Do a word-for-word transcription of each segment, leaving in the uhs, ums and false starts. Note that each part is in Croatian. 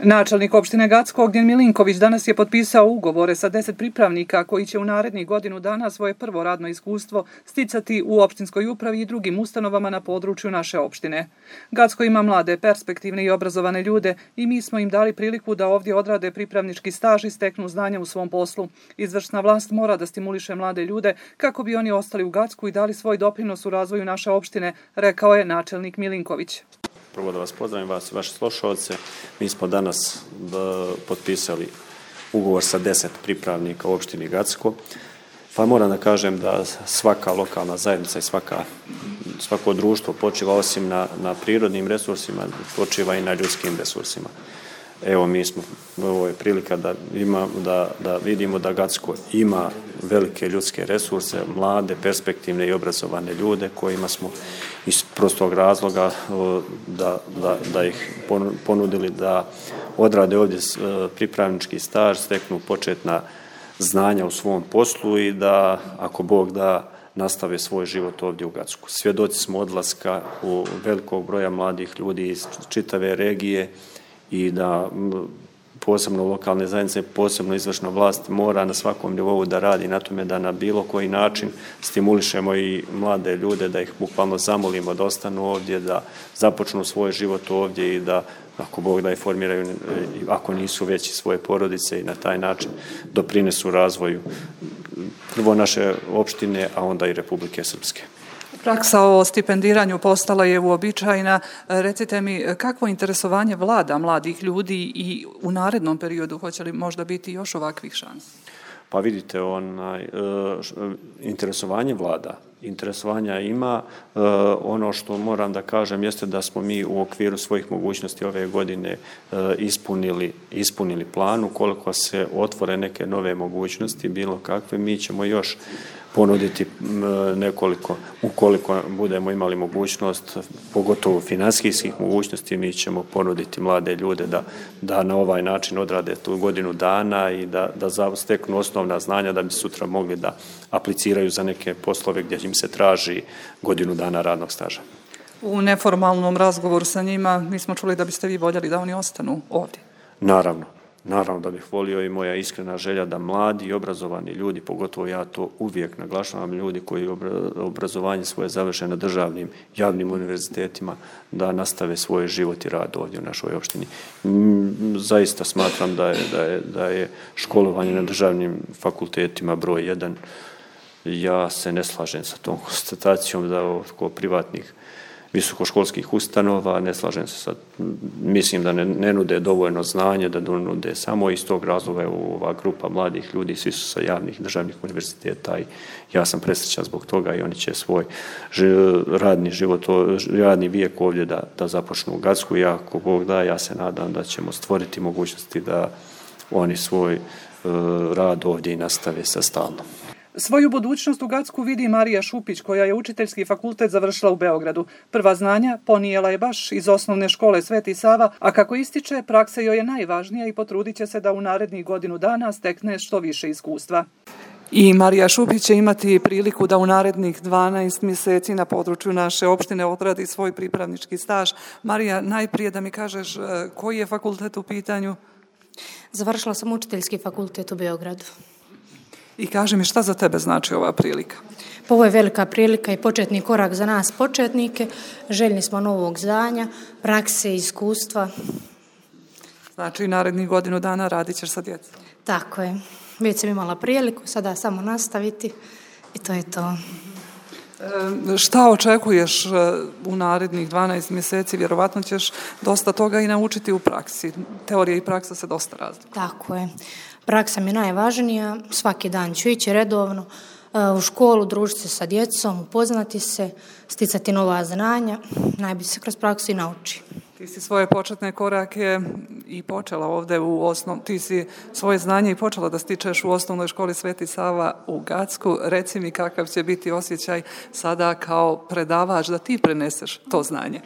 Načelnik opštine Gacko Ognjen Milinković danas je potpisao ugovore sa deset pripravnika koji će u narednih godinu dana svoje prvo radno iskustvo sticati u opštinskoj upravi i drugim ustanovama na području naše opštine. Gacko ima mlade, perspektivne i obrazovane ljude i mi smo im dali priliku da ovdje odrade pripravnički staž i steknu znanja u svom poslu. Izvršna vlast mora da stimuliše mlade ljude kako bi oni ostali u Gacku i dali svoj doprinos u razvoju naše opštine, rekao je načelnik Milinković. Prvo da vas pozdravim, vas i vaše slušalce. Mi smo danas potpisali ugovor sa deset pripravnika u opštini Gacko. Pa moram da kažem da svaka lokalna zajednica i svaka, svako društvo počiva osim na, na prirodnim resursima, počiva i na ljudskim resursima. Evo, mi smo, ovo je prilika da, ima, da, da vidimo da Gacko ima velike ljudske resurse, mlade, perspektivne i obrazovane ljude kojima smo iz prostog razloga da, da, da ih ponudili da odrade ovdje pripravnički staž, steknu početna znanja u svom poslu i da, ako Bog da, nastave svoj život ovdje u Gacku. Svjedoci smo odlaska u velikog broja mladih ljudi iz čitave regije i da posebno lokalne zajednice, posebno izvršna vlast mora na svakom nivou da radi na tome da na bilo koji način stimulišemo i mlade ljude, da ih bukvalno zamolimo da ostanu ovdje, da započnu svoj život ovdje i da, ako Bog da, i formiraju, ako nisu već, svoje porodice i na taj način doprinesu razvoju prvo naše opštine, a onda i Republike Srpske. Praksa o stipendiranju postala je uobičajena. Recite mi, kakvo interesovanje vlada mladih ljudi i u narednom periodu, hoće li možda biti još ovakvih šansi? Pa vidite, onaj, interesovanje vlada, interesovanja ima. Ono što moram da kažem jeste da smo mi u okviru svojih mogućnosti ove godine ispunili, ispunili plan. Ukoliko se otvore neke nove mogućnosti, bilo kakve, mi ćemo još ponuditi nekoliko, ukoliko budemo imali mogućnost, pogotovo finansijskih mogućnosti, mi ćemo ponuditi mlade ljude da, da na ovaj način odrade tu godinu dana i da, da steknu osnovna znanja da bi sutra mogli da apliciraju za neke poslove gdje im se traži godinu dana radnog staža. U neformalnom razgovoru sa njima mi smo čuli da biste vi voljeli da oni ostanu ovdje. Naravno. Naravno da bih volio i moja iskrena želja da mladi i obrazovani ljudi, pogotovo ja to uvijek naglašavam, ljudi koji obrazovanje svoje završe na državnim javnim univerzitetima, da nastave svoj život i rad ovdje u našoj opštini. Zaista smatram da je, da je, da je školovanje na državnim fakultetima broj jedan. Ja se ne slažem sa tom konstatacijom da oko privatnih visokoškolskih ustanova, ne slažem se sad, mislim da ne, ne nude dovoljno znanje, da nude samo iz tog razloga ova grupa mladih ljudi, svi su sa javnih državnih univerziteta i ja sam presrećan zbog toga i oni će svoj radni život, radni vijek ovdje da, da započnu u Gacku i ako Bog da, ja se nadam da ćemo stvoriti mogućnosti da oni svoj uh, rad ovdje i nastave sa stalno. Svoju budućnost u Gacku vidi Marija Šupić, koja je učiteljski fakultet završila u Beogradu. Prva znanja ponijela je baš iz osnovne škole Sveti Sava, a kako ističe, praksa joj je najvažnija i potrudit će se da u narednih godinu dana stekne što više iskustva. I Marija Šupić će imati priliku da u narednih dvanaest mjeseci na području naše opštine odradi svoj pripravnički staž. Marija, najprije da mi kažeš koji je fakultet u pitanju? Završila sam učiteljski fakultet u Beogradu. I kaži mi, šta za tebe znači ova prilika? Pa ovo je velika prilika i početni korak za nas početnike. Željni smo novog znanja, prakse i iskustva. Znači, narednih godinu dana radit ćeš sa djecom? Tako je. Već sam imala priliku, sada samo nastaviti i to je to. E, šta očekuješ u narednih dvanaest mjeseci? Vjerovatno ćeš dosta toga i naučiti u praksi. Teorija i praksa se dosta razlikuju. Tako je. Praksa mi je najvažnija, svaki dan ću ići redovno u školu, družiti se sa djecom, upoznati se, sticati nova znanja, najbolje se kroz praksu i nauči. Ti si svoje početne korake i počela ovdje u osnov, ti si svoje znanje i počela da stičeš u osnovnoj školi Sveti Sava u Gacku. Reci mi kakav će biti osjećaj sada kao predavač da ti preneseš to znanje.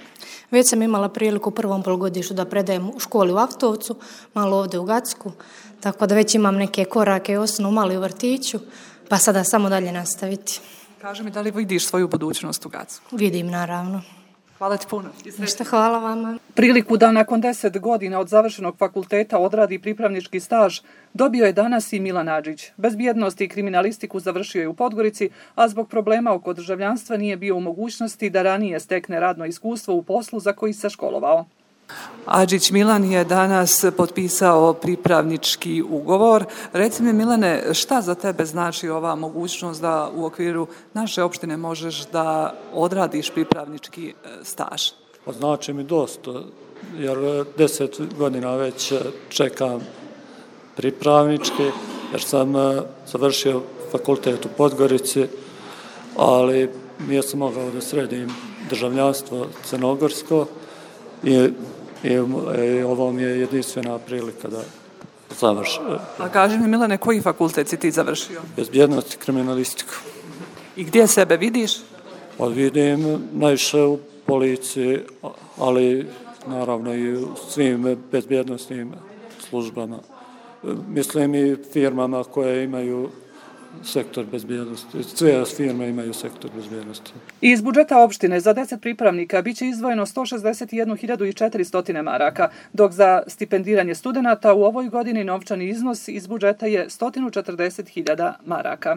Već sam imala priliku u prvom polugodištu da predajem u školi u Aftovcu, malo ovdje u Gacku, tako da već imam neke korake osnovno malo i u vrtiću, pa sada samo dalje nastaviti. Kaži mi, da li vidiš svoju budućnost u Gacku? Vidim, naravno. Hvala ti puno. Ništa, hvala vama. Priliku da nakon deset godina od završenog fakulteta odradi pripravnički staž dobio je danas i Milan Adžić. Bezbjednost i kriminalistiku završio je u Podgorici, a zbog problema oko državljanstva nije bio u mogućnosti da ranije stekne radno iskustvo u poslu za koji se školovao. Adžić Milan je danas potpisao pripravnički ugovor. Reci mi, Milane, šta za tebe znači ova mogućnost da u okviru naše opštine možeš da odradiš pripravnički staž? Znači mi dosta, jer deset godina već čekam pripravnički, jer sam završio fakultet u Podgorici, ali nisam mogao da sredim državljanstvo crnogorsko i, i, i ovo mi je jedinstvena prilika da završim. A kaži mi, Milane, koji fakultet si ti završio? Bezbjednost i kriminalistiku. I gdje sebe vidiš? Pa vidim najviše u policiji, ali naravno i u svim bezbjednostnim službama. Mislim i firmama koje imaju sektor bezbjednosti. Sve firme imaju sektor bezbjednosti. Iz budžeta opštine za deset pripravnika biće izdvojeno sto šezdeset jednu hiljadu četiristo maraka, dok za stipendiranje studenata u ovoj godini novčani iznos iz budžeta je sto četrdeset hiljada maraka.